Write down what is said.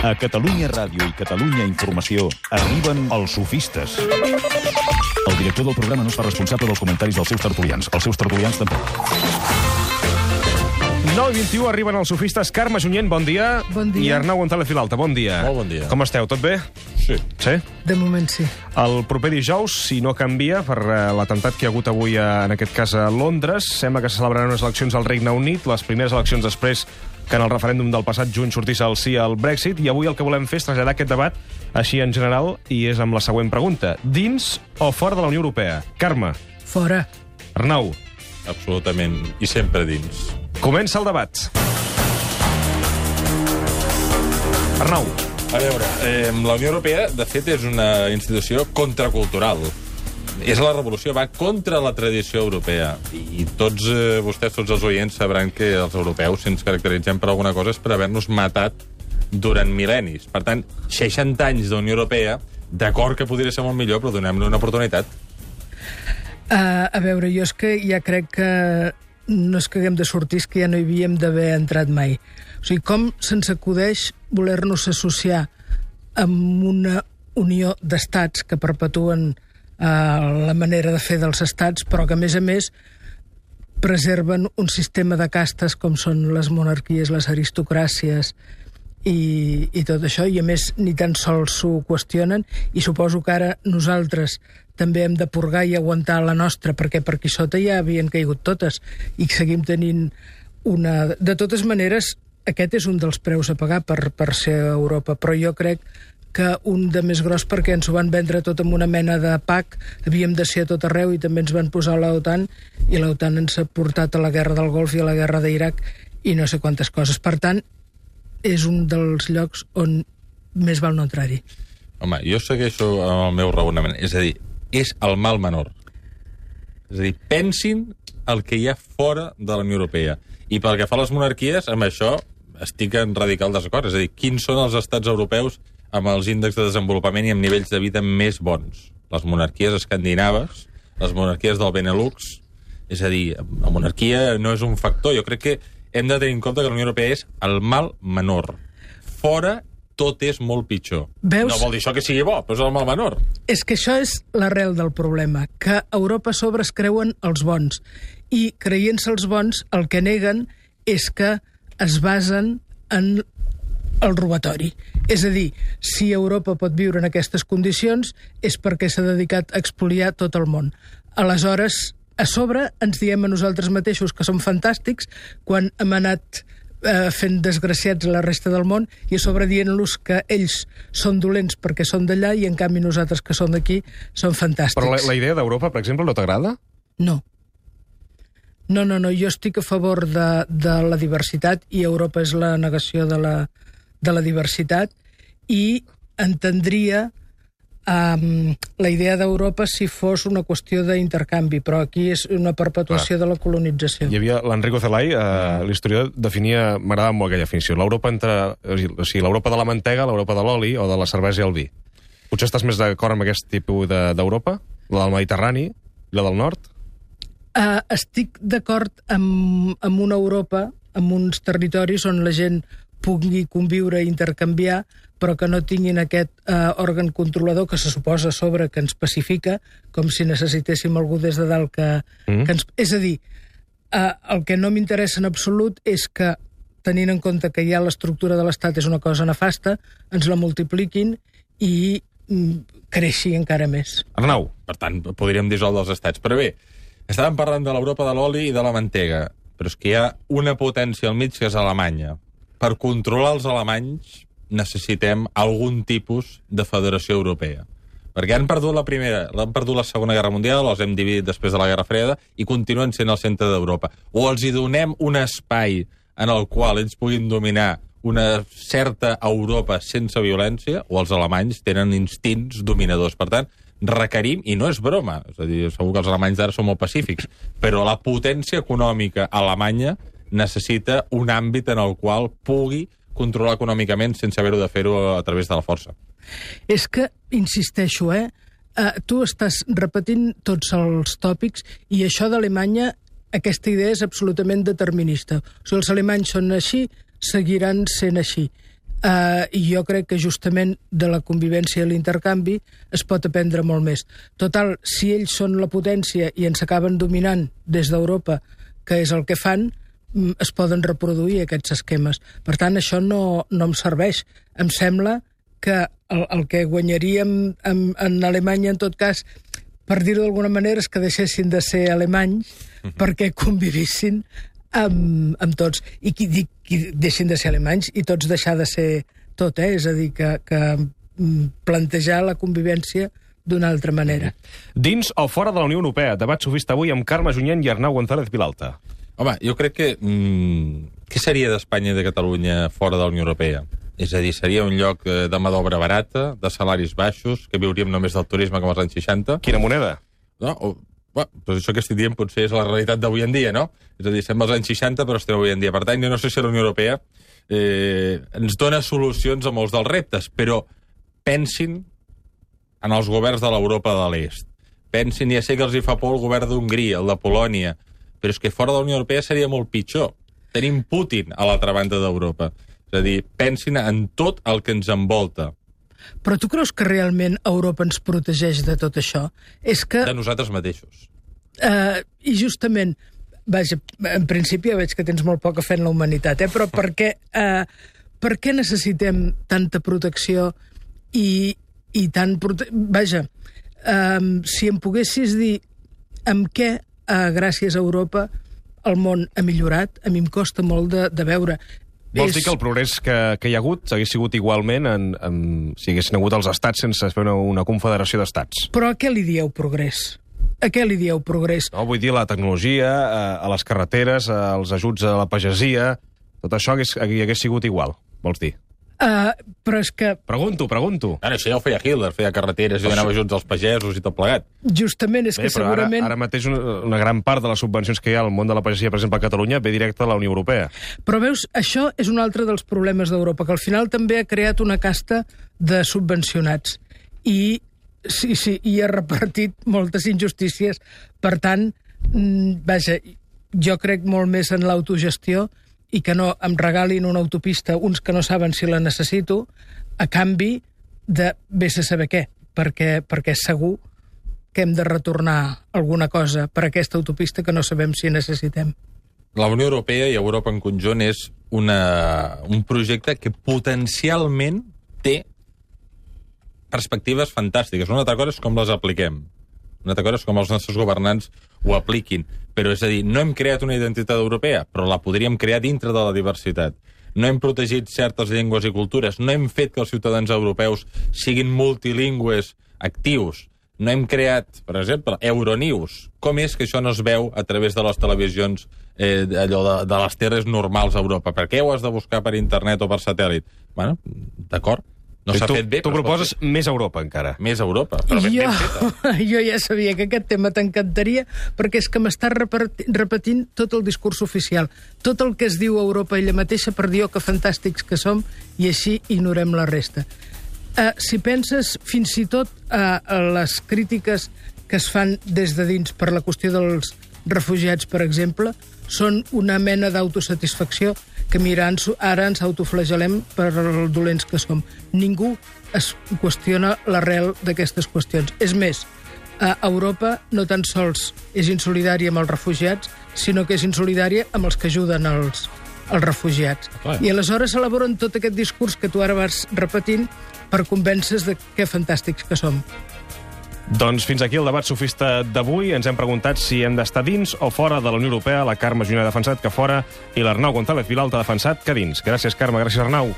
A Catalunya Ràdio i Catalunya Informació arriben els sofistes. El director del programa no es fa responsable dels comentaris dels seus tertulians. Els seus tertulians tampoc. 9:21 arriben els sofistes. Carme Junyent, bon dia. Bon dia. I Arnau González Vilalta, bon dia. Molt bon dia. Com esteu, tot bé? Sí. Sí? De moment sí. El proper dijous, si no canvia, per l'atemptat que hi ha hagut avui, en aquest cas a Londres, sembla que se celebraran unes eleccions al Regne Unit, les primeres eleccions després que en el referèndum del passat juny sortís el sí al Brexit, i avui el que volem fer és traslladar aquest debat així en general, i és amb la següent pregunta. Dins o fora de la Unió Europea? Carme. Fora. Arnau. Absolutament. I sempre dins. Comença el debat. Arnau. A veure, la Unió Europea, de fet, és una institució contracultural. És la revolució, va contra la tradició europea. I tots vostès, tots els oients, sabran que els europeus, si ens caracteritzem per alguna cosa, és per haver-nos matat durant mil·lennis. Per tant, 60 anys d'Unió Europea, d'acord que podria ser molt millor, però donem-li una oportunitat. A veure, jo és que ja crec que no és que haguem de sortir, és que ja no hi havíem d'haver entrat mai. O sigui, com se'ns acudeix voler-nos associar amb una unió d'estats que perpetuen la manera de fer dels estats, però que, a més, preserven un sistema de castes com són les monarquies, les aristocràcies i tot això, i a més ni tan sols s'ho qüestionen, i suposo que ara nosaltres també hem de purgar i aguantar la nostra, perquè per aquí sota ja havien caigut totes, i seguim tenint una... De totes maneres, aquest és un dels preus a pagar per ser a Europa, però jo crec que un de més gros, perquè ens ho van vendre tot amb una mena de pack, havíem de ser a tot arreu i també ens van posar l'OTAN, i l'OTAN ens ha portat a la guerra del Golf i a la guerra d'Iraq i no sé quantes coses. Per tant, és un dels llocs on més val no entrar-hi. Home, jo segueixo amb el meu raonament. És a dir, és el mal menor. És a dir, pensin el que hi ha fora de la Unió Europea. I pel que fa a les monarquies, amb això estic en radical desacord. És a dir, quins són els estats europeus amb els índexs de desenvolupament i amb nivells de vida més bons? Les monarquies escandinaves, les monarquies del Benelux. És a dir, la monarquia no és un factor. Jo crec que hem de tenir en compte que la Unió Europea és el mal menor. Fora tot és molt pitjor. Veus? No vol dir això que sigui bo, però és el mal menor. És que això és l'arrel del problema, que a Europa a sobre es creuen els bons, i creient-se els bons el que neguen és que es basen en el robatori. És a dir, si Europa pot viure en aquestes condicions és perquè s'ha dedicat a expoliar tot el món. Aleshores, a sobre ens diem a nosaltres mateixos que som fantàstics quan hem anat fent desgraciats a la resta del món, i a sobre dient-los que ells són dolents perquè són d'allà i en canvi nosaltres que som d'aquí som fantàstics. Però la idea d'Europa, per exemple, no t'agrada? No. No, jo estic a favor de la diversitat, i Europa és la negació de la diversitat, i entendria la idea d'Europa si fos una qüestió d'intercanvi, però aquí és una perpetuació de la colonització. Hi havia l'Enrico Zelai, l'historiador, definia, m'agradava molt aquella definició, l'Europa l'Europa de la mantega, l'Europa de l'oli o de la cervesa i el vi. Potser estàs més d'acord amb aquest tipus d'Europa? La del Mediterrani? La del nord? Estic d'acord amb una Europa, amb uns territoris on la gent pugui conviure i intercanviar, però que no tinguin aquest òrgan controlador que se suposa a sobre que ens pacifica, com si necessitéssim algú des de dalt que ens... És a dir, el que no m'interessa en absolut és que, tenint en compte que ja l'estructura de l'Estat és una cosa nefasta, ens la multipliquin i creixi encara més. Arnau. Per tant, podríem dissoldre els estats. Però bé, estàvem parlant de l'Europa de l'oli i de la mantega, però és que hi ha una potència al mig que és Alemanya. Per controlar els alemanys necessitem algun tipus de federació europea. Perquè han perdut la primera, han perdut la Segona Guerra Mundial, els hem dividit després de la Guerra Freda i continuen sent el centre d'Europa. O els hi donem un espai en el qual ells puguin dominar una certa Europa sense violència, o els alemanys tenen instints dominadors. Per tant, requerim, i no és broma, és a dir, segur que els alemanys d'ara són molt pacífics, però la potència econòmica alemanya necessita un àmbit en el qual pugui controlar econòmicament sense haver-ho de fer-ho a través de la força. És que, insisteixo, tu estàs repetint tots els tòpics, i això d'Alemanya, aquesta idea és absolutament determinista. O sigui, els alemanys són així, seguiran sent així. I jo crec que justament de la convivència i l'intercanvi es pot aprendre molt més. Total, si ells són la potència i ens acaben dominant des d'Europa, que és el que fan, es poden reproduir aquests esquemes. Per tant, això no em serveix. Em sembla que el que guanyaríem en Alemanya, en tot cas, per dir-ho d'alguna manera, és que deixessin de ser alemanys perquè convivissin amb tots. I qui deixin de ser alemanys i tots deixar de ser tot, És a dir, que plantejar la convivència d'una altra manera. Dins o fora de la Unió Europea? Debat sofista avui amb Carme Junyent i Arnau González Vilalta. Home, jo crec que... què seria d'Espanya i de Catalunya fora de la Unió Europea? És a dir, seria un lloc de mà d'obra barata, de salaris baixos, que viuríem només del turisme com als anys 60. Quina moneda? No? Doncs això que estic dient potser és la realitat d'avui en dia, no? És a dir, estem als anys 60, però estem avui en dia. Per tant, jo no sé si la Unió Europea ens dona solucions a molts dels reptes, però pensin en els governs de l'Europa de l'Est. Pensin, ja sé que els hi fa por el govern d'Hongria, el de Polònia, però és que fora de la Unió Europea seria molt pitjor. Tenim Putin a l'altra banda d'Europa. És a dir, pensin en tot el que ens envolta. Però tu creus que realment Europa ens protegeix de tot això? És que... De nosaltres mateixos. I justament, vaja, en principi ja veig que tens molt poca fe en la humanitat, però per què necessitem tanta protecció i tant... Vaja, si em poguessis dir amb què, gràcies a Europa, el món ha millorat, a mi em costa molt de veure. Vols dir que el progrés que hi ha hagut hagués sigut igualment si haguessin hagut els estats sense fer una confederació d'estats? Però a què li dieu progrés? A què li dieu progrés? No, vull dir, la tecnologia, a les carreteres, als ajuts a la pagesia, tot això hagués sigut igual, vols dir? Però és que... Pregunto. Ara, això ja ho feia Hitler, feia carreteres i donava ajuts als pagesos i tot plegat. Justament, és que segurament... Ara mateix una gran part de les subvencions que hi ha al món de la pagesia, per exemple, a Catalunya, ve directe de la Unió Europea. Però veus, això és un altre dels problemes d'Europa, que al final també ha creat una casta de subvencionats. I ha repartit moltes injustícies. Per tant, vaja, jo crec molt més en l'autogestió i que no em regalin una autopista uns que no saben si la necessito, a canvi de vés a saber què, perquè segur que hem de retornar alguna cosa per aquesta autopista que no sabem si necessitem. La Unió Europea i Europa en conjunt és un projecte que potencialment té perspectives fantàstiques. Una altra cosa és com les apliquem. Una altra cosa és com els nostres governants ho apliquin. Però, és a dir, no hem creat una identitat europea, però la podríem crear dintre de la diversitat. No hem protegit certes llengües i cultures, no hem fet que els ciutadans europeus siguin multilingües actius, no hem creat, per exemple, Euronews. Com és que això no es veu a través de les televisions allò de les terres normals a Europa? Per què ho has de buscar per internet o per satèl·lit? Bueno, d'acord. No s'ha fet bé. Tu proposes més Europa, encara. Més Europa, però ben feta. Jo ja sabia que aquest tema t'encantaria, perquè és que m'estàs repetint tot el discurs oficial. Tot el que es diu a Europa ella mateixa per dir que fantàstics que som, i així ignorem la resta. Si penses fins i tot a les crítiques que es fan des de dins per la qüestió dels refugiats, per exemple, són una mena d'autosatisfacció que ara ens autoflagelem per els dolents que som. Ningú es qüestiona l'arrel d'aquestes qüestions. És més, Europa no tan sols és insolidària amb els refugiats, sinó que és insolidària amb els que ajuden els refugiats. I aleshores elaboren tot aquest discurs que tu ara vas repetint per convèncer de que fantàstics que som. Doncs fins aquí el debat sofista d'avui. Ens hem preguntat si hem d'estar dins o fora de la Unió Europea. La Carme Junyent ha defensat que fora i l'Arnau González Vilalta ha defensat que dins. Gràcies, Carme. Gràcies, Arnau.